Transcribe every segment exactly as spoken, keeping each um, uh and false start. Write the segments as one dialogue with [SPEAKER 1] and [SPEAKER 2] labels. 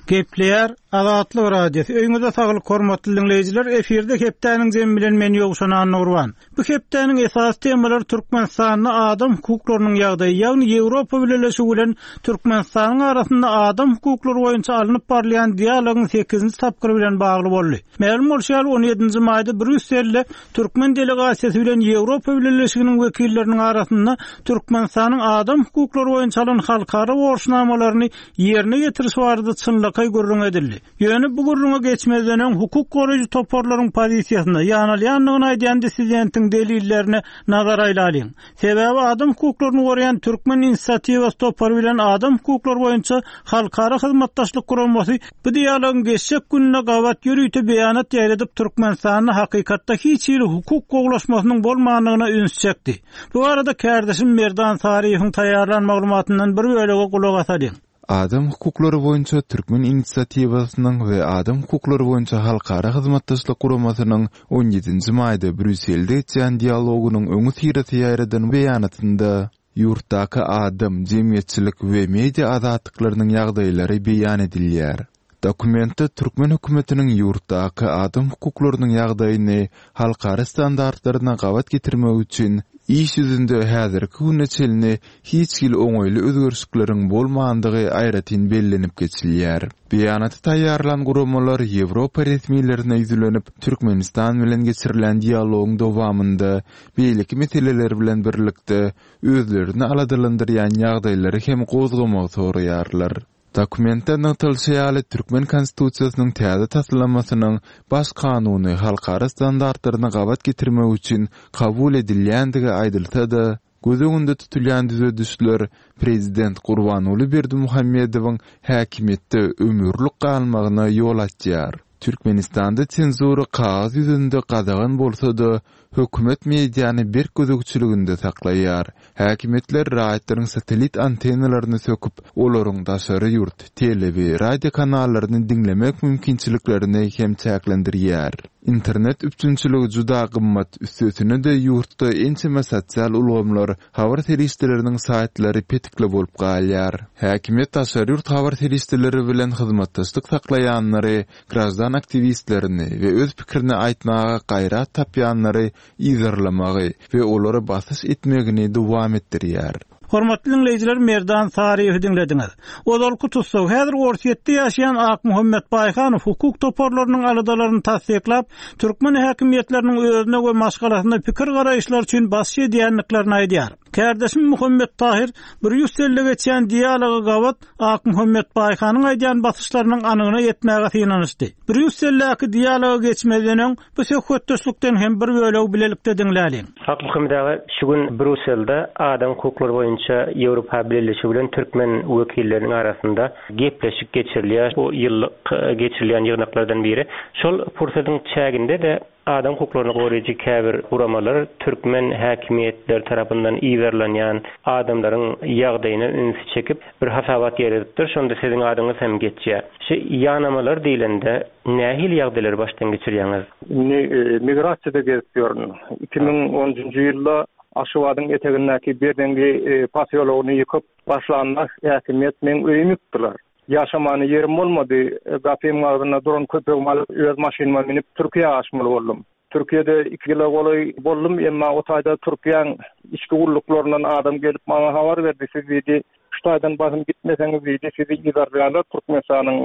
[SPEAKER 1] Gepleýär Azatlyk Radiosy. Öýüňize saglyk hormatly dinleýjiler. Efirde hepdäniň jemi bilen men Ýowşan Annagurban. Bu hepdäniň esasy temalary Türkmenistanda adam hukuklarynyň ýagdaýy, ýagny Ýewropa Bileleşigi bilen Türkmenistanyň arasynda adam hukuklary boýunça alnyp barylýan dialogyň sekizinji tapgyry bilen bagly boldy. Mälim bolşy ýaly on ýedinji maýda Brýusselde Türkmen delegasiýasy bilen Ýewropa Bileleşiginiň wekilleriniň arasynda Türkmenistanyň adam hukuklary boýunça alan halkara borçnamalaryny ýerine ýetiriş barada çynlakaý gürrüň edildi. Ýöne bu gürrüňe geçmezden öň hukuk goraýjy toparlaryň pozisiýasyna ýanalýandygyny aýdýan dissidentiň delillerine nazar aýlalyň. Sebäbi adam hukuklaryny goraýan Türkmen inisiatiwasy topary bilen adam hukuklary boýunça halkara hyzmatdaşlyk guramasy bu dialogyň geçjek gününe gabat ýörite beýanat ýaýradyp Türkmenistanda hakykatda hiç hili hukuk gowulaşmasynyň bolmandygyna üns çekdi. Bu arada kärdeşim Merdan Saryýewiň taýýarlan maglumatyndan bir bölegi gulak asalyň.
[SPEAKER 2] Adam hukuklary boýunça Türkmen inisiatiwasynyň we Adam hukuklary boýunça halkara hyzmatdaşlyk guramasynyň on ýedinji maýda Brýusselde geçýän dialogynyň öňi syrasy ýaýradan beýanatynda ýurtdaky adam, jemgyýetçilik we media azatlyklarynyň ýagdaýlary beýan edilýär. Dokumentde Türkmen hökümetiniň ýurtdaky adam hukuklarynyň ýagdaýyny halkara standartlaryna gabat getirmek üçin iş ýüzünde häzirki güne çenli hiç hili oňaýly özgerişlikleriň bolmandygy aýratyn bellenip geçilýär. Beýanaty taýýarlan guramalar Ýewropa resmilerine ýüzlenip, Türkmenistan bilen geçirilen dialogyň dowamynda beýleki meseleler bilen birlikde özlerini aladalandyrýan ýagdaýlary hem gozgamagy soraýarlar. Dokumentde nygtalyşy ýaly Türkmen Konstitusiýasynyň täze taslamasynyň baş kanuny halkara standartlaryna gabat getirmek üçin kabul edilýändigi aýdylsa-da, göz öňünde tutulýan düzedişler Prezident Gurbanguly Berdimuhamedowyň häkimiýetde ömürlik galmagyna ýol açýar. Türkmenistanda senzura kagyz ýüzünde gadagan bolsa-da, hökümet mediany berk gözegçiliginde saklaýar. Häkimiýetler raýatlaryň satellit antennalaryny söküp, olaryň daşary ýurt, tele we radio kanallaryny diňlemek mümkinçiliklerini hem çäklendirýär. Internet üpjünçiligi juda gymmat, üstesine-de ýurtda ençeme sosial ulgamlar, habar serişdeleriniň saýtlary petikli bolup galýar. Häkimiýet daşary ýurt habar serişdeleri bilen hyzmatdaşlyk saklaýanlary, graždan aktiwistlerini we öz pikirini aýtmaga gaýrat tapýanlary yzarlamagy we olary basyş etmegini dowam etdirýär.
[SPEAKER 1] Hormatly dinleýjiler, Merdan Saryýewi diňlediňiz. Ozalky tussag häzir Orsýetde ýaşaýan Akmuhammet Baýhanow hukuk toparlarynyň aladalaryny tassyklap, türkmen häkimiýetleriniň özüne we maşgalasyna pikir garaýyşlar üçin basyş edýändiklerini aýdýar. Kärdeşim Muhammet Tahir Brýusselde geçýän dialoga gabat Akmuhammet Baýhanyň aýdýan basyşlarynyň anygyna ýetmäge synanyşdy. Brýusseldäki dialoga geçmezden öň bu söhbetdeşlikden hem bir bölegi bilelikde diňläliň.
[SPEAKER 3] Akmuhammet aga, şu gün Brýusselde adam hukuklary boýunça Ýewropa Bileleşigi bilen türkmen wekilleriniň arasynda gepleşik geçirilýär. Bu ýyllyk geçirilýän ýygnaklardan biri. Şol pursatyň çäginde-de adam hukuklaryny goraýjy käbir guramalar türkmen häkimiýetleri tarapyndan yzarlanýan adamlaryň ýagdaýyna ünsi çekip bir hasabat ýerledipdir. Şonda siziň adyňyz hem geçýär. Şu ýanamalar diýlende nähili ýagdaýlary başdan geçirýäňiz?
[SPEAKER 4] Indi, e, migrasiýada gezip ýörün. Iki müň onunjy ýylda Aşgabadyň etegindäki Berzeňňi, e, posýologyny ýykyp başlanda häkimiýet meň öýümi ýykdylar. Ýaşamany ýerim bolmady. E, gapymyň agzynda duran köpegimi alyp öz maşynyma minip Türkiýä aşmaly boldum. Türkiýede iki ýyla golaý boldum, emma o taýda Türkiýäň içki gulluklaryndan adam gelip maňa habar berdi. Siz diýdi, şu taýdan basym gitmeseňiz diýdi, sizi yzarlaýarlar Türkmenistanyň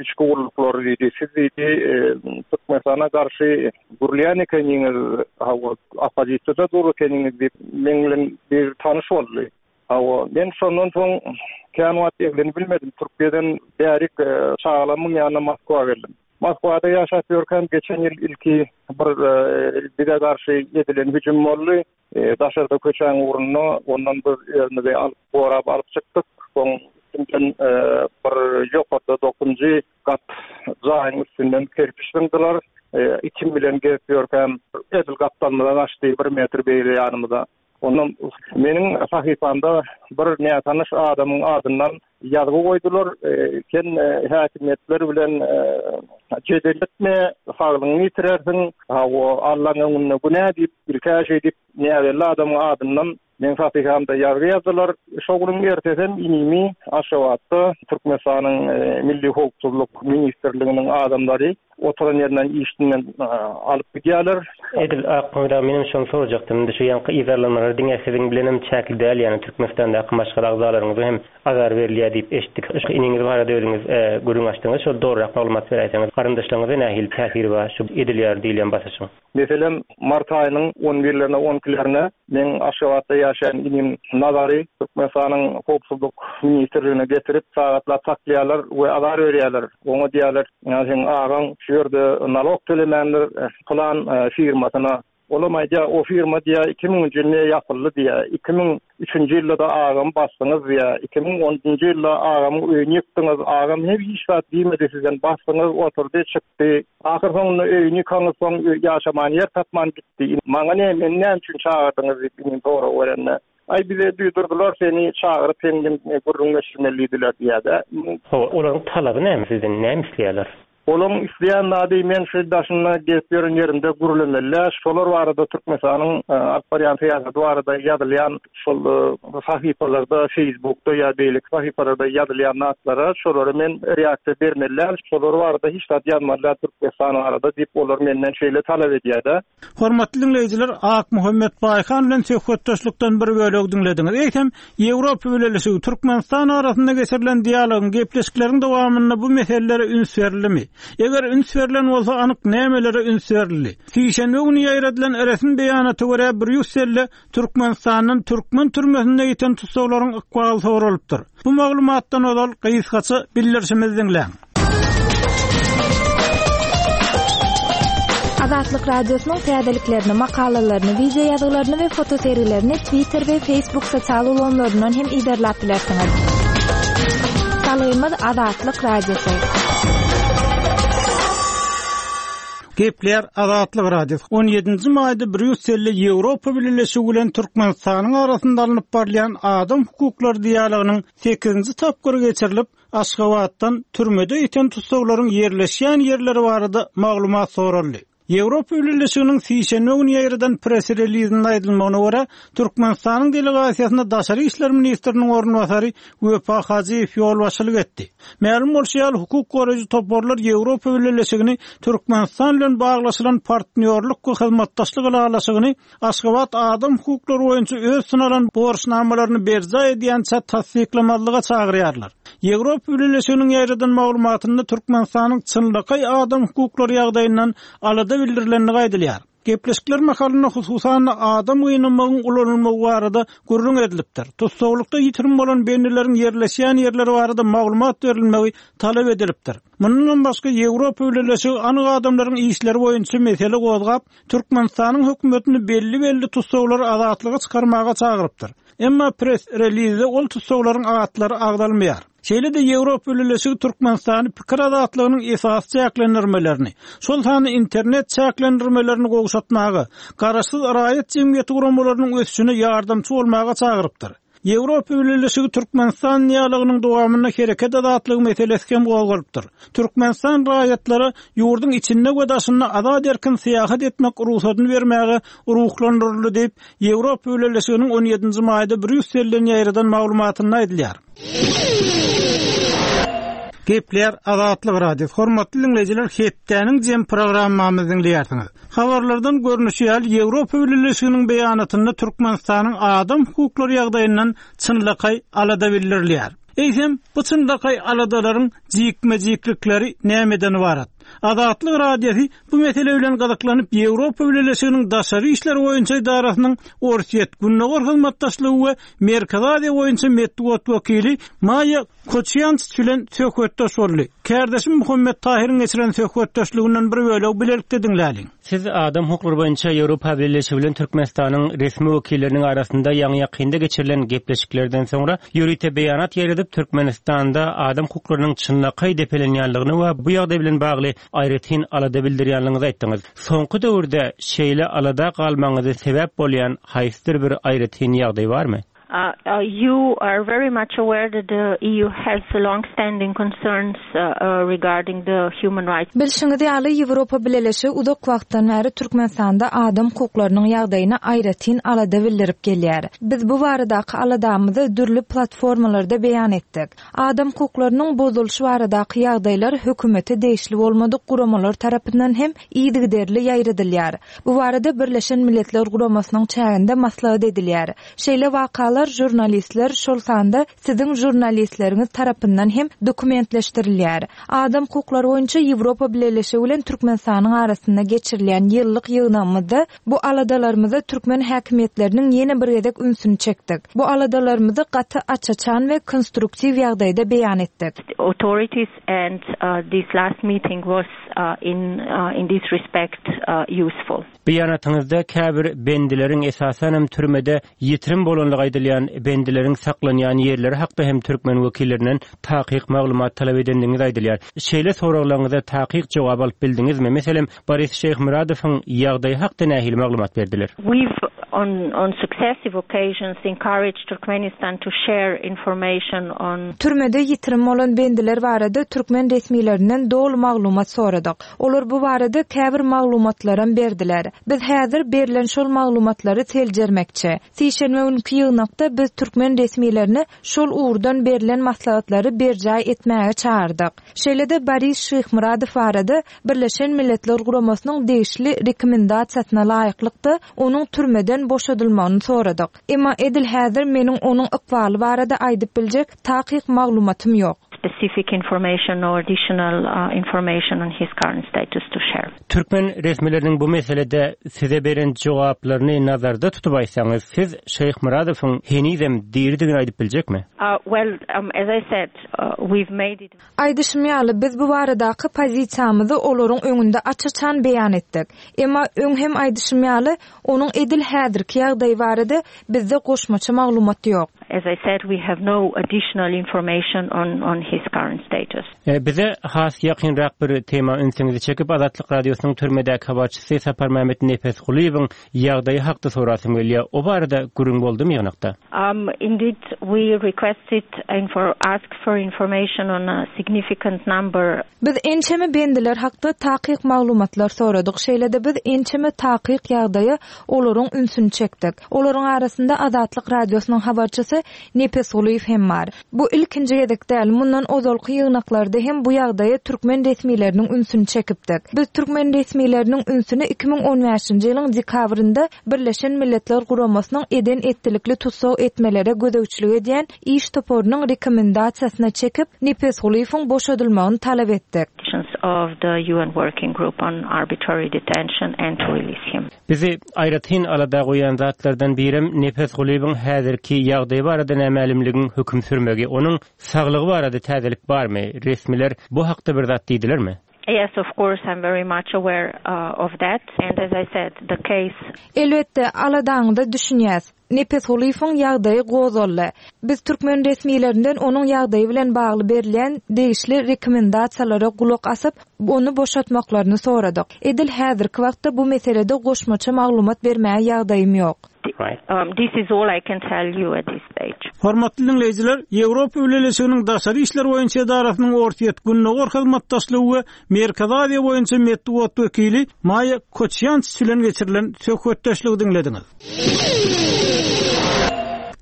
[SPEAKER 4] içki gulluklary diýdi. Siz diýdi, e, Türkmenistana garşy gürleýän ekeniňiz, hawa, oppozisiýada dur ekeniňiz diýip, meň bilen bir tanyş boldy. Hawa, men şondan soň kän wagt eglenip bilmedim. Türkiýeden bärik, e, çagalarymyň ýanyna Moskwa geldim. Moskwada ýaşap ýörkäm geçen ýyl ilki bir, e, bize garşy edilen hüjüm boldy. E, daşarda köçäň ugrunda ondan biz özümizi alyp, gorap alyp çykdyk. Soň üstünden, e, bir ýokarda dokuzunjy gat jaýyň üstünden kerpiç zyňdylar. E, itim bilen gezip ýörkäm edil gapdalymyza gaçdy, bir metr beýle ýanymyza. Ondan meniň sahypamda bir nätanyş adamyň adyndan ýazgy goýdular. E, sen, e, häkimiýetler bilen, e, jedel etme, saglygyňy ýitirersiň. Ha, o Allaň öňünde günä diýip, ilkä şey diýip, näbelli adamyň adyndan Meň sahypamda ýazgy ýazdylar. Şo günüň ertesem inimi Aşgabatda Türkmenistanyň Milli howpsuzlyk ministrliginiň adamlary oturan ýerinden işinden alyp gidýärler.
[SPEAKER 3] Edil Akmyrat aga menem şony sorajakdym. Indi şu ýaňky yzarlamalar diňe siziň bilenem çäkli däl, ýagny Türkmenistandaky maşgala agzalaryňyza hem azar berilýär diýip eşitdik. Şu iniňiz barada özüňiz gürrüň açdyňyz. Şol dogrurak maglumat beräýseňiz, garyndaşlaryňyza nähili täsiri bar şu edilýär diýilýän basyşyň?
[SPEAKER 4] Meselem, mart aýynyň on birlerine, on ikilerine meň Aşgabatda ýaşaýan inim Nazary Türkmenistanyň howpsuzlyk ministrligine getirip, sagatlap saklaýarlar we azar berýärler. Oňa diýýärler, ýa seň agaň şu ýerde nalog tölemändir pylan firmasyna. Olam aýdýar, o firma diýýär, iki müňünji ýylda ýapyldy diýýär. Iki müň üçünji ýylda-da agamy basdyňyz diýýär. Iki müň onunjy ýylda agamyň öýüni ýykdyňyz. Agam hem hiç zat diýmedi sizden. Basdyňyz, oturdy, çykdy. Ahyr soňunda öýüni ýykaňyz, soň ýaşaman ýer tapman gitdi. Maňa ne, meni näme üçin çagyrdyňyz diýip inim sorag berende. Aý bize duýdurdylar seni çagyryp sen bilen gürrüň geçirmeli diýdiler diýýär-de.
[SPEAKER 3] Hawa, olaryň talaby näme sizden, näme isleýärler?
[SPEAKER 4] Olaryň isleýän zady men şu daşynda gezip ýören ýerimde gürlemeli. Şolar barada Türkmenistanyň alyp barýan syýasaty barada ýazylýan şol sahypalarda, Facebookda ýa beýleki sahypalarda ýazylýan zatlara şolara men reaksiýa bermeli. Şolar barada hiç zat ýazmaly Türkmenistan barada diýip olar menden şeýle talap edýär-de.
[SPEAKER 1] Hormatly dinleýjiler, Akmuhammet Baýhan bilen söhbetdeşlikden bir bölek diňlediňiz. Eýsem, Ýewropa Bileleşigi Türkmenistan arasynda geçirilen dialogyň, gepleşikleriň dowamynda bu meselelere üns berildi? Eger üns berlen bolsa anyk nämelere üns berildi? Sişenbe güni ýaýradylan resmi beýanata görä Brýusselde Türkmenistandan türkmen türmesinde ýiten tussaglaryň ykbaly soralypdyr. Bu maglumatdan ozal gysgaça bildirişimizi diňläň.
[SPEAKER 5] Azatlyk Radiosynyň täzeliklerini, makalalaryny, wideo ýazgylaryny we fotosergilerini Twitter we Facebook sosial ulgamlaryndan hem yzarlap bilersiňiz. Salgymyz Azatlyk Radiosy.
[SPEAKER 1] Gepler Azatlyk Radiosy. on ýedinji maýda Brýusselde Ýewropa Bileleşigi bilen Türkmenistanyň arasynda alnyp barylýan adam hukuklary dialogynyň sekizinji tapgyry geçirilip, Aşgabatdan türmede ýiten tussaglaryň ýerleşýän ýerleri barada maglumat soraldy. Ýewropa Bileleşiginiň sişenbe güni ýaýradan press-relizinde aýdylmagyna görä, Türkmenistanyň delegasiýasyna Daşary işler ministriniň orunbasary Wepa Hajyýew ýolbaşçylyk etdi. Mälim bolşy ýaly, hukuk goraýjy toparlar Ýewropa Bileleşigini Türkmenistan bilen baglaşylan partnýorlyk we hyzmatdaşlyk ylalaşygyny Aşgabat adam hukuklary boýunça öz synalan borçnamalaryny berjaý edýänçä tassyklamazlyga çagyrýarlar. Ýewropa Bileleşiginiň ýaýradan maglumatynda Türkmenistanyň çynlakaý adam hukuklary ýagdaýyndan alada bildirilendigi aýdylýar. Gepleşikler mahalynda hususan adam gynamagyň ulanylmagy barada gürrüň edilipdir. Tussaglykda ýitirim bolan bendileriň ýerleşýän ýerleri barada maglumat berilmegi talap edilipdir. Mundan başga Ýewropa Bileleşigi anyk adamlaryň işleri boýunça mesele gozgap, Türkmenistanyň hökümetini belli-belli tussaglary azatlyga çykarmaga çagyrypdyr. Emma press-relizde ol tussaglaryň atlary agzalmaýar. Şeýle-de Ýewropa Bileleşigi Türkmenistany pikir azatlygynyň esasy çäklendirmelerini, şol sanda internet çäklendirmelerini gowşatmaga, garaşsyz raýat jemgyýeti guramalarynyň ösüşine ýardamçy bolmaga çagyrypdyr. Ýewropa Bileleşigi Türkmenistan dialogynyň dowamynda hereket azatlygy meselesi hem gozgalypdyr. Türkmenistan raýatlara ýurduň içinde we daşynda azat erkin syýahat etmek rugsadyny bermäge ruhlandyryldy diýip, Ýewropa Bileleşiginiň on ýedinji maýda Brýusselden ýaýradan maglumatynda aýdylýar. Gepler Azatlyk Radiosy. Hormatly dinleýjiler, hepdäniň jem programmamyzy diňleýärsiňiz. Habarlardan görnüşi ýaly, Ýewropa Bileleşiginiň beýanatynda Türkmenistanyň adam hukuklary ýagdaýyndan çynlakaý alada bildirilýär. Eýsem, bu çynlakaý aladalaryň jikme-jiklikleri nämeden ibarat? Azatlyk Radiosy bu mesele bilen gyzyklanyp, Ýewropa Bileleşiginiň Daşary işler boýunça edarasynyň Orsýet, Gündogar hyzmatdaşlygy we Merkezi Aziýa boýunça metbugat wekili Maýa Koçýançiç bilen söhbetdeş boldy. Kärdeşim Muhammet Tahyryň geçiren söhbetdeşliginden bir bölegi bilelikde diňläliň.
[SPEAKER 3] Siz adam hukuklary boýunça Ýewropa Bileleşigi bilen Türkmenistanyň resmi wekilleriniň arasynda ýaňy-ýakynda geçirilen gepleşiklerden soňra ýörite beýanat ýaýradyp, Türkmenistanda adam hukuklarynyň çynlakaý depelenýänligini we bu ýagdaý bilen bagly aýratyn alada bildirýänligiňizi aýtdyňyz. Soňky döwürde şeýle alada galmaňyzy sebäp bolýan haýsydyr bir aýratyn ýagdaý barmy?
[SPEAKER 6] Uh, uh, you are very much aware that the E U has long-standing concerns uh, uh, regarding the human rights.
[SPEAKER 5] Bilşiňiz ýaly, Ýewropa Bileleşigi uzak wagtdan bäri Türkmenistanda adam hukuklarynyň ýagdaýyna aýratyn alada bildirip gelýär. Biz bu baradaky aladamyzy dürli platformalarda beýan etdik. Adam hukuklarynyň bozulyşy baradaky ýagdaýlar hökümete degişli bolmadyk guramalar tarapyndan hem yzygiderli ýaýradylýar. Bu barada Birleşen Milletler Guramasynyň çäginde maslahat edilýär. Şeýle wakalar žurnalistler, şol sanda siziň žurnalistleriňiz tarapyndan hem dokumentleşdirilýär. Adam hukuklary boýunça Ýewropa Bileleşigi bilen Türkmenistanyň arasynda geçirilýän ýyllyk ýygnagymyzda bu aladalarymyza türkmen häkimiýetleriniň ýene bir gezek ünsüni çekdik. Bu aladalarymyzy gaty aç-açan we konstruktiw ýagdaýda beýan etdik.
[SPEAKER 6] Authorities and uh, this last meeting was uh, in uh, in this respect uh, useful.
[SPEAKER 3] Beýanatyňyzda käbir bendileriň, esasanam türmede ýitirim bolanlygy aýdylýan bendileriň saklanýan ýerleri hakda hem türkmen wekillerinden takyk maglumat talap edendigiňiz aýdylýar. Şeýle soraglaryňyza takyk jogap alyp bildiňizmi? Meselem, Boris Şeýhmyradowyň ýagdaýy hakda nähili maglumat berdiler?
[SPEAKER 6] We've on on successive occasions encouraged Turkmenistan to share information on
[SPEAKER 5] Türmede ýitirim bolan bendiler barada türkmen resmilerinden doly maglumat soradyk. Olar bu barada käbir maglumatlaram berdiler. Biz häzir berlen şol maglumatlary seljermekçi. Sişenbe günki ýygnakda biz türkmen resmilerini şol ugurdan berlen maslahatlary berjaý etmäge çagyrdyk. Şeýle-de Boris Şeýhmyradow barada Birleşen Milletler Guramasynyň degişli rekomendasiýasyna laýyklykda onuň türmeden boşadylmagyny soradyk. Emma edil häzir meniň onuň ykbaly barada aýdyp biljek takyk maglumatym ýok.
[SPEAKER 6] Specific information or additional uh, information on his current status to share.
[SPEAKER 3] Türkmen resmileriniň bu meselede size beren jogaplaryny nazarda tutup aýtsaňyz, siz Şeýhmyradowyň henizem diridigini aýdyp biljekmi?
[SPEAKER 6] Uh, well, um, as I said, uh, we've made it
[SPEAKER 5] Aýdyşym ýaly, biz bu baradaky pozisiýamyzy olaryň öňünde aç-açan beýan etdik. Emma öň hem aýdyşym ýaly, onuň edil häzirki ýagdaýy barada bizde goşmaça maglumat ýok.
[SPEAKER 6] As I said, we have no additional information on, on his current status.
[SPEAKER 3] E, bize has ýakynrak bir tema ünsüňizi çekip, Azatlyk Radiosynyň türmedäki habarçysy Saparmämmet Nepesgulyýewiň ýagdaýy hakda sorasym gelýär. O barada gürrüň boldumy ýygnakda?
[SPEAKER 6] Um, indeed, we requested and for asked for information on a significant number
[SPEAKER 5] Biz ençeme bendiler hakda takyk maglumatlar soradyk. Şeýle-de biz ençeme takyk ýagdaýa olaryň ünsüni çekdik. Olaryň arasynda Azatlyk Radiosynyň habarçysy Nepesgulyýew hem bar. Bu ilkinji gezek däl, mundan ozalky ýygnaklarda hem bu ýagdaýa türkmen resmileriniň ünsüni çekipdik. Biz türkmen resmileriniň ünsüni iki müň on bäşinji ýylyň dekabrynda Birleşen Milletler Guramasynyň eden etdilikli tussag etmelere gözegçilik edýän iş toparynyň rekomendasiýasyna çekip, Nepesgulyýewiň boşadylmagyny talap etdik.
[SPEAKER 6] Of the U N Working Group on Arbitrary Detention and to release him.
[SPEAKER 3] Bizi aýratyn alada goýan zatlardan birem Nepesgulyýewiň häzirki ýagdaýy barada nämälimligiň höküm sürmegi. Onuň saglygy barada täzelik barmy? Resmiler bu hakda bir zat diýdilermi?
[SPEAKER 6] Yes, of course, I'm very much aware uh, of that. And as I said, the case
[SPEAKER 5] Elbetde, aladaňyza düşünýäs. Nepesgulyýewiň ýagdaýy gozgaldy. Biz türkmen resmilerinden onuň ýagdaýy bilen bagly berilýän degişli rekomendasiýalara gulak asyp, ony boşatmaklaryny soradyk. Edil häzirki wagtda bu meselede goşmaça maglumat bermäge ýagdaýym ýok.
[SPEAKER 3] Right.
[SPEAKER 6] um, this is all I can tell you at this stage.
[SPEAKER 1] Hormatly dinleýjiler, Ýewropa Bileleşiginiň daşary işler boýunça edarasynyň Ortaýer Gündogar hyzmatdaşlygy we Merkezi Aziýa boýunça metbugat wekili Maýa Koçýanç bilen geçirilen söhbetdeşligi diňlediňiz.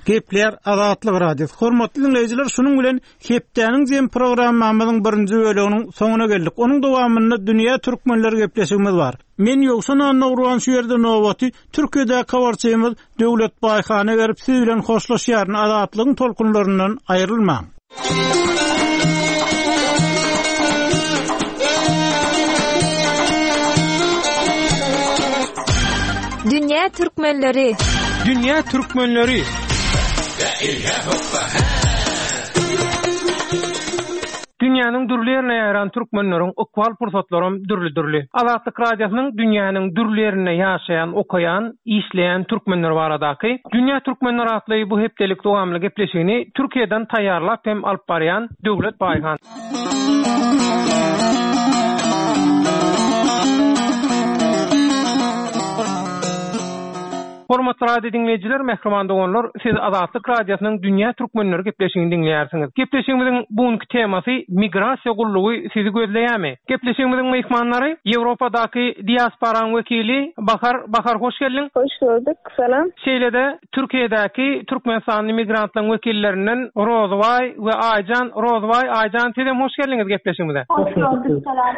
[SPEAKER 1] Gepleýär Azatlyk Radiosy. Hormatly dinleýjiler, şunuň bilen hepdäniň jem programmamyzyň birinji bölüminiň soňuna geldik. Onuň dowamynda dünýä türkmenleri gepleşigimiz bar. Men Ýowşan Annagurban şu ýerde nobaty Türkiýede habarçymyz Döwlet Baýhana berip siz bilen hoşlaşýaryn. Azatlygyň tolkunlaryndan aýrylmaň.
[SPEAKER 5] Dünýä türkmenleri.
[SPEAKER 7] Dünýä türkmenleri. Dünýäniň dürli ýerine ýaýran türkmenleriň ykbal pursatlaram dürli-dürli. Azatlyk Radiosynyň dünýäniň dürli ýerinde ýaşaýan, okaýan, işleýän türkmenler baradaky Dünýä türkmenler atly bu hepdelik dowamly gepleşigini Türkiýeden taýýarlap hem alyp barýan Döwlet Baýhan. Hormatly radio diňleýjiler, mähriban doganlar, siz Azatlyk Radiosynyň Dünýä Türkmenleri gepleşigini diňleýärsiňiz. Gepleşigimiziň bugünki temasy migrasiýa gullugy sizi gözleýärmi? Gepleşigimiziň myhmanlary Ýewropadaky diasporaň wekili Bahar Bahar hoş geldiň.
[SPEAKER 8] Hoş gördük. Salam.
[SPEAKER 7] Şeýle-de Türkiýedäki Türkmenistanly migrantlaryň wekillerinden Rozbaý we Aýjan Rozbaý Aýjan siz hem hoş geldiňiz gepleşigimize.
[SPEAKER 8] Hoş gördük. Salam.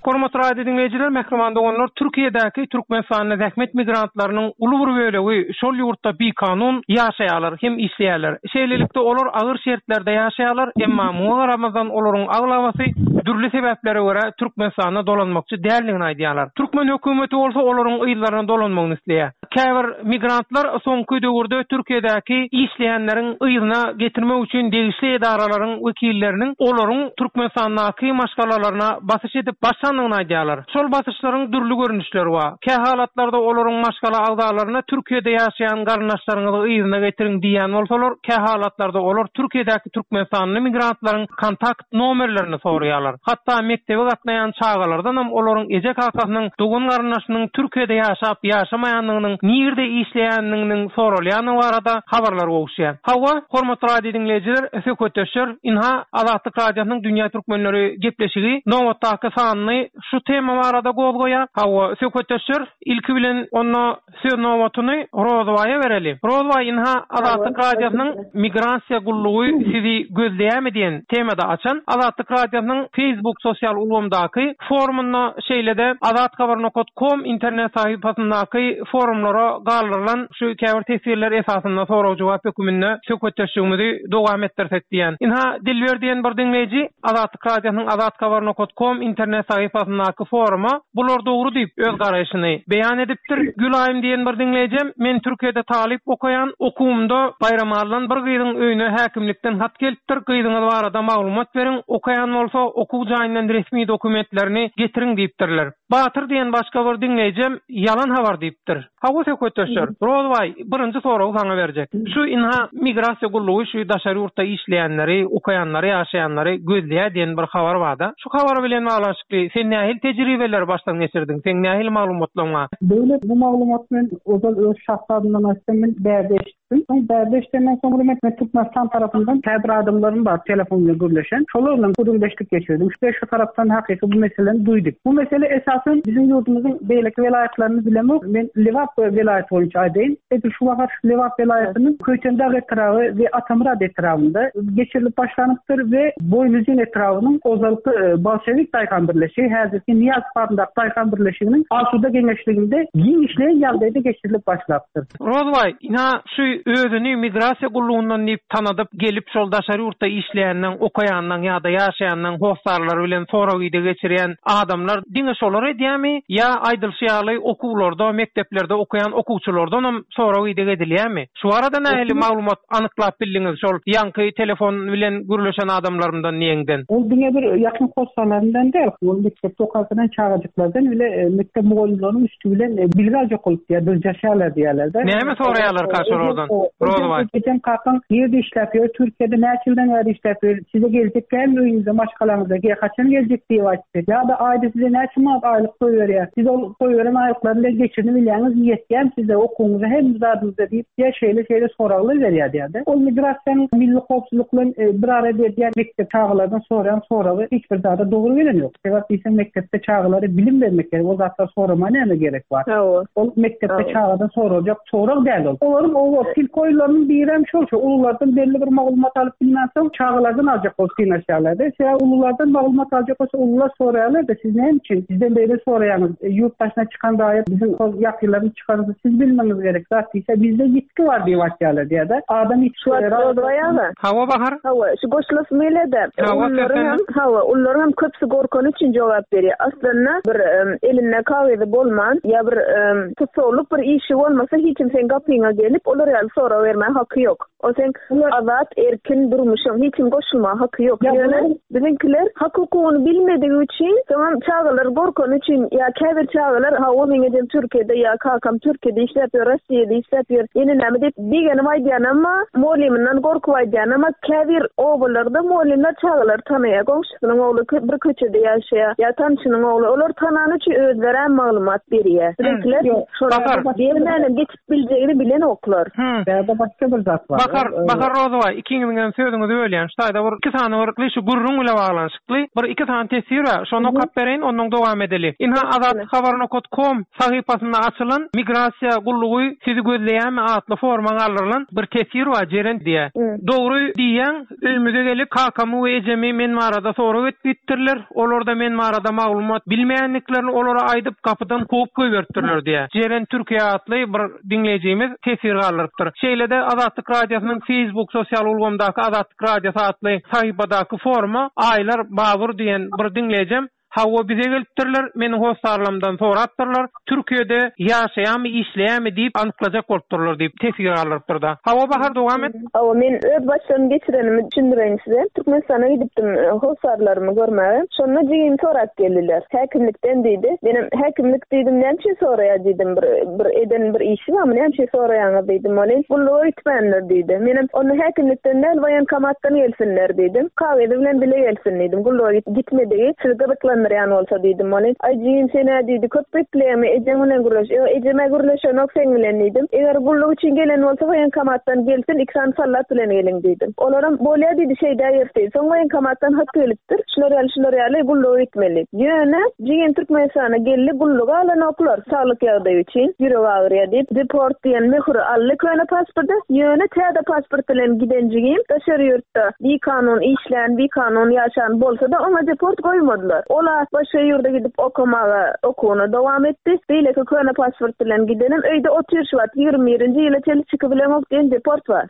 [SPEAKER 7] Hormatly radio diňleýjiler, mähriban doganlar, Türkiýedäki Türkmenistanly zähmet migrantlarynyň uly bir bölegi şol ýurtda bikanun ýaşaýarlar, hem işleýärler. Şeýlelikde olar agyr şertlerde ýaşaýarlar, emma muňa garamazdan olaryň aglabasy dürli sebäplere görä Türkmenistanda dolanmakçy däldigini aýdýarlar. Türkmen hökümeti bolsa olaryň yzlaryna dolanmagyny isleýär. Käbir migrantlar soňky döwürde Türkiýedäki işleýänleriň yzyna getirmek üçin degişli edaralaryň wekilleriniň olaryň Türkmenistandaky maşgalalaryna basyş edip başlandygyny aýdýarlar. Şol basyşlaryň dürli görnüşleri bar. Kä halatlarda olaryň maşgala agzalaryna Türkiýede ýaşaýan garyndaşlaryňyzy yzyna getiriň diýen bolsalar, kä halatlarda olar Türkiýedäki Türkmenistanly migrantlaryň kontakt nomerlerini soraýarlar. Hatda mekdebe gatnaýan çagalardan hem olaryň eje kakasynyň dogan garyndaşynyň Türkiýede ýaşap ýaşamaýandygynyň, nirde işleýändiginiň soralýany barada habarlar gowuşýar. Hawa, hormatly radio diňleýjiler, söhbetdeşler, inha Azatlyk Radiosynyň Dünýä Türkmenleri gepleşigi nobatdaky sanyny şu tema barada gozgaýar. Hawa, söhbetdeşler, ilki bilen onda söz nobatyny Rozbaýa bereli. Rozbaý, inha Azatlyk Radiosynyň migrasiýa gullugy sizi gözleýärmi diýen temada açan Azatlyk Radiosynyň Facebook sosial ulgamdaky forumynda şeýle-de azathabar nokta com internet sahypasyndaky forumlara galdyrylan şu käbir teswirler esasynda sorag-jogap hökmünde söhbetdeşligimizi dowam etdirsek diýen. Inha Dilber diýen bir diňleýji Azatlyk Radiosynyň azathabar nokta com internet sahypasyndaky foruma bular dogry diýip öz garaýşyny beýan edipdir. Gülaýym diýen bir diňleýjim, men Türkiýede talyp okaýan, okuwymda Baýramalydan bir gyzyň öýüne häkimlikden hat gelipdir. Gyzyňyz barada maglumat beriň, okaýan bolsa okuw jaýyndan resmi dokumentlerini getiriň diýipdirler. Batyr diýen başga bir diňleýjim ýalan habar diýipdir. Hawa söhbetdeşler, Rozbaý, birinji soragy saňa berjek. Şu inha migrasiýa gullugy şu daşary ýurtda işleýänleri, okaýanlary, ýaşaýanlary gözleýär diýen bir habar barda. Şu habar bilen baglanyşykly sen nähili tejribeleri başdan geçirdiň? Sen nähili maglumatlaryň bar?
[SPEAKER 9] Döwlet bu maglumat men ozal öz şahslaryndan açdym, men bärde eşitdim. Soň bärde eşidenden soňra men men Türkmenistan tarapyndan käbir adamlarym bar, telefon bilen gürleşen. Şolar bilen gürrüňdeşlik geçirdim. Şu şu tarapdan hakyky bu meseleni duýduk. Bu mesele esasen bizim ýurdumyzyň beýleki welaýatlaryny bilemok. Men Lebap welaýaty boýunça aýdaýyn. Edil şu wagt Lebap welaýatynyň Köýtendag etraby we Atamyrat etrabynda geçirilip başlanypdyr we Boýnuzyn etrabynyň ozalky e, Bolşewik Daýhan Birleşigi, häzirki Niýaz Paryndak Daýhan Birleşiginiň Asuda geňeşliginde giňişleýin ýagdaýda geçirilip başlapdyr.
[SPEAKER 7] Rozbaý, ina şu özüni migrasiýa gullugyndan diýip tanadyp gelip şol daşary ýurtda işleýänden, okaýandan ýa-da ýaşaýandan hossarlary bilen sorag-ideg geçirýän adamlar diňe şolar edýärmi ýa aýdylşy ýaly okuwlarda, mekdeplerde okaýan okuwçylardan hem sorag-ideg edilýärmi? Şu arada nähili maglumat anyklap bildiňiz şol ýaňky telefon bilen gürleşen adamlarymdan niýeňden?
[SPEAKER 9] Ol diňe bir ýakyn hossarlaryndan däl, ol mekdepde okaýan çagajyklardan bile e, mekdep mugallymlarynyň üstü bilen e, bilgi aljak bolup diýär, dyrjaşýarlar diýerler.
[SPEAKER 7] Näme soraýarlar karşılardan? Rozbaý.
[SPEAKER 9] Ejem kakaň nirde işläp ýör, Türkiýede näçe ýyldan bäri işläp ýör, size geljek dälmi öýüňize, maşgalaňyza, ge haçan geljek diýip aýtdy. Ýa-da aýda size näçe manat aýlyk goýberýär. Siz ol goýberen aýlyklary bilen geçirip bilýäňiz, ýetýän size okuwyňyza hem zadyňyza diýip, ýa şeýle-şeýle soraglar berýär diýärdi. Ol migrasiýanyň milli howpsuzlyk bilen e, bir arada edýän mekdep çagalardan soraýan soragy hiç bir zada dogry gelen ýok. Sebäp diýseň mekdepde çagalara bilim bermek gerek, o zatlar sorama näme gerek bar?
[SPEAKER 8] Hawa.
[SPEAKER 9] Ol mekdepde
[SPEAKER 8] Hawa.
[SPEAKER 9] çagadan sorajak sorag däl ol. Olaryň o tilki oýunlarynyň biri hem şol, şo ululardan belli bir maglumat alyp bilmän soň çagalardan aljak bolup synlaşýarlar. Sebäp ululardan maglumat aljak bolsa ulular soraýarlar da siz näme üçin bizden beýle soraýaňyz? E, ýurt daşyna çykan raýat bizim şol ýakynlaryny çykarsa siz bilmeňiz gerek. Zat diýse bizde ýitgi bar diýip aýtýarlar diýär-de. Adam hiç
[SPEAKER 8] Şu wagt Rozbaý aga.
[SPEAKER 7] Hawa Bahar.
[SPEAKER 8] Hawa, şu goşulasym gelýär-de.
[SPEAKER 7] Hawa,
[SPEAKER 8] Ulularyň
[SPEAKER 7] sen-
[SPEAKER 8] hem, hawa, ulularyň hem köpüsi gorkany üçin jogap berýär. Aslynda bir em, elinde kagyzy bolman ýa bir em, tutsaglyk bir işi bolmasa hiç kim sen gapyňa gelip olar ýaly sorag bermäge haky ýok. O seň azat, erkin durmuşyň, hiç kim goşulmaga haky ýok. Ýöne biziňkiler hak hukugyny bilmedigi üçin, soňam çagalar gorkany üçin ýa käbir çagalar hawa meň ejem Türkiýede ýa kakam Türkiýede işläp ýör, Russiýada işläp ýör, ýene näme diýip begenip aýdýan amma mugallymyndan gorkup aýdýan amma käbir obalarda mugallymlar çagalary tanaýar, goňşusynyň ogly bir köçede ýaşaýar ýa tanşynyň ogly, olar tanany üçin özleri maglumat berýär. Biziňkiler şolar bermänem geçip biljegini bilenoklar.
[SPEAKER 9] Bärde başga bir zat bar.
[SPEAKER 7] Bahar, Bahar Rozowa, ikiňiziň hem sözüňizi bölýän. Şu taýda bir iki sany bir şu gürrüň bile baglanyşykly bir iki sany teswir bar. Şony okap bereýin, ondan dowam edeli. Inha azatlyk nokta com sahypasynda açylan migrasiýa gullugy sizi gözleýärmi atly forma galdyrylan bir teswir bar, Jeren diýe. Dogry diýen, öýümize gelip kakamy we ejemi men barada sorag etipdirler. Olar da men barada maglumat bilmeýändiklerini olara aýdyp gapydan kowup goýberipdirler diýe. Jeren Türkiýe atly bir diňleýjimiz teswir galdyrypdyr. Şeýle-de Azatlyk Radiosynyň Facebook sosial ulgamdaky Azatlyk Radiosy atly sahypadaky forma Aýlar Babur diýen bir diňleýjim Hawa bize gelipdirler, meniň hossarlarymdan sorapdyrlar. Türkiýede ýaşaýarmy, işleýärmi diýip anyklajak bolupdyrlar diýip teswir galdyrypdyr da. Hawa Bahar dowam et.
[SPEAKER 8] Hawa men öz başdan geçirenimi düşündireýin size. Türkmenistana gidipdim hossarlarymy görmäge. Şonda jigim sorap geldiler. Häkimlikden diýdi. Menem häkimlik diýdim, näme üçin soraýar diýdim. Bir bir eden bir işi barmy, näme üçin soraýaňyz diýdim. Ol gulluga gitmänler diýdi. Menem onu häkimlikden däl, waýenkomatdan gelsinler diýdim. Kagyzy bilen bile gelsin diýdim. Gulluga gitmedigi sizi gyzyklandyrýan bolsa diýdim. Ol aý jigim sen-ä diýdi, köp bekleýärmi, ejeň bilen gürleş. Ýok, ejeme gürleşenok sen bilen diýdim. Eger gulluk üçin gelen bolsa waýenkomatdan gelsin, iki sany sallat bilen geliň diýdim. Olaram bolýar diýdi, şeýdä ýerdi. Soň waýenkomatdan hat gelipdir. Şular ýaly, şular ýaly gulluga gitmeli. Ýöne jigim Türkmenistana geldi, gulluga alanoklar saglyk ýagdaýy üçin, ýürek agyrýar diýip, deport diýen möhüri aldy köne pasporty. Ýöne täze pasport bilen giden jigim daşary ýurtda bikanun işlän, bikanun ýaşan bolsa-da oňa deport goýmadylar. Ola başga ýurda gidip okamaga okuwyny dowam etdi. Beýleki köne pasport bilen gidenem öýde otyr şu wagt ýigrimi birinji ýyla çenli çykyp bilenok diýen deport bar.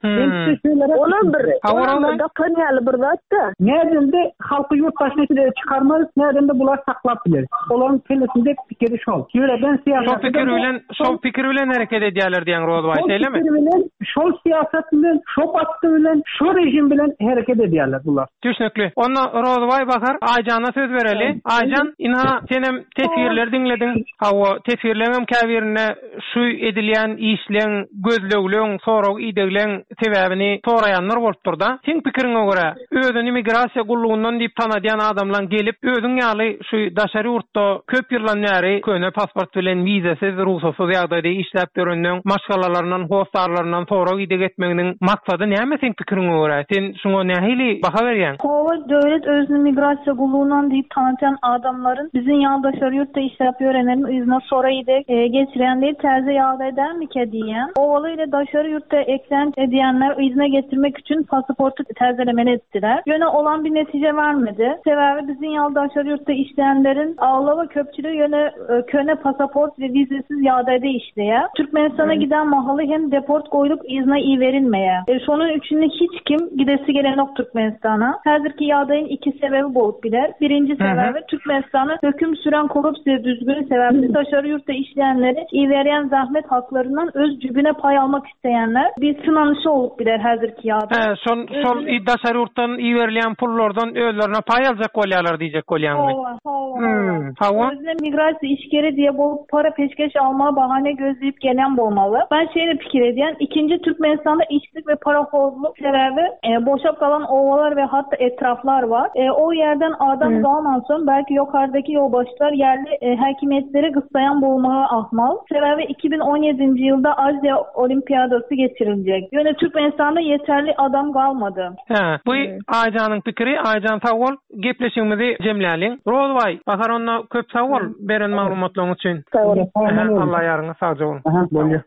[SPEAKER 8] Olam bir, olam bir gapan ýaly bir zat-da.
[SPEAKER 9] Nädende halky ýurt daşyna çykarmaz, nädende bular saklap biler. Olaryň kellesinde pikiri şol. Ýöreden syýasat.
[SPEAKER 7] Şol pikir bilen, şol pikir bilen hereket edýärler diýen Rozbaý, şeýlemi?
[SPEAKER 9] Şol pikir bilen, şol syýasat bilen, şol baskı bilen, şol rejim bilen hereket edýärler bular.
[SPEAKER 7] Düşnükli. Onda Rozbaý Bahar Aýjana söz bereli. Aýjan, inha senem teswirleri diňlediň. Hawa, teswirleriň hem käbirinde şu edilýän işleň, gözlegleň, sorag idegleň sebäbini soraýanlar bolupdyr da. Seň pikiriňe görä, özüni migrasiýa gullugyndan diýip tanadýan adamlaryň gelip, özüň ýaly şu daşary ýurtda köp ýyldan bäri köne pasport bilen wizasiz, rugsatsyz ýagdaýda işläp ýörenden maşgalalaryndan, hossarlaryndan sorag ideg etmeginiň maksady näme seň pikiriňe görä? Sen şuňa nähili baha berýäň?
[SPEAKER 10] Hawa, döwlet özüni migrasiýa gullugyndan diýip tanatýan adamlaryň bizim ýaly daşary ýurtda işläp ýörenleriň yzyna sorag ideg, e, geçirýän diýip täze ýagdaý dälmikä diýýän. Owaly ile daşary ýurtda eklenç edýänler yzyna getirmek üçin pasaporty täzelemeli etdiler. Ýöne olan bir netije vermedi. Sebäbi bizim ýaly daşary ýurtda işleýänleriň aglaba köpçüligi ýöne, e, köne pasaport we wizesiz ýagdaýda işleýär. Türkmenistana giden mahaly hem deport goýlup yzyna iberilmeýär. E, şonuň üçin hiç kim gidesi gelenok Türkmenistana. Häzirki ýagdaýyň iki sebebi bolup biler. Birinji sebebi Türkmenistana höküm süren korrupsiýa düzgüni sebäpli daşary ýurtda işleýänleri iberýän zahmet haklaryndan öz jübüne pay almak isteýänler bir sınanışı olup biler häzirki ýagdaý.
[SPEAKER 7] He, şol, şol daşary ýurtdan iberilýän pullardan özlerine pay aljak bolýarlar diýjek bolýaňmy?
[SPEAKER 10] Hawa, hawa,
[SPEAKER 7] Hmm, hawa.
[SPEAKER 10] Özüne migrasiýa işgäri diýe bolup para peşgeş alma bahane gözleyip gelen bolmaly. Ben şeýle pikir edýän, ikinji Türkmenistanda işsizlik we parahorluk sebäbi, e, boşap galan ovalar we hatta etraflar bar. E, o yerden adam
[SPEAKER 8] Hmm.
[SPEAKER 10] galman soň belki ýokardaki ýolbaşçylar ýerli, e, hakimiýetleri gyssaýan bolmagy ahmal. Sebäbi iki bin on ýedinji ýylda Aziýa Olimpiadasy geçiriljek. Ýöne Türkmenistanda ýeterli adam galmady.
[SPEAKER 7] He, bu
[SPEAKER 8] Hmm.
[SPEAKER 7] Aýjanyň pikiri, Aýjan sag bol, gepleşigimizi jemläliň. Rozbaý, Bahar onda köp sag bol beren maglumatlaryň üçin.
[SPEAKER 8] Sag bol.
[SPEAKER 7] Aha, Allah ýaryňa sagja bol.
[SPEAKER 9] Aha, bolýar.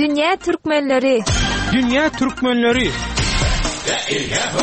[SPEAKER 5] Dünýä Türkmenleri.
[SPEAKER 7] Dünýä Türkmenleri.
[SPEAKER 11] La ilaha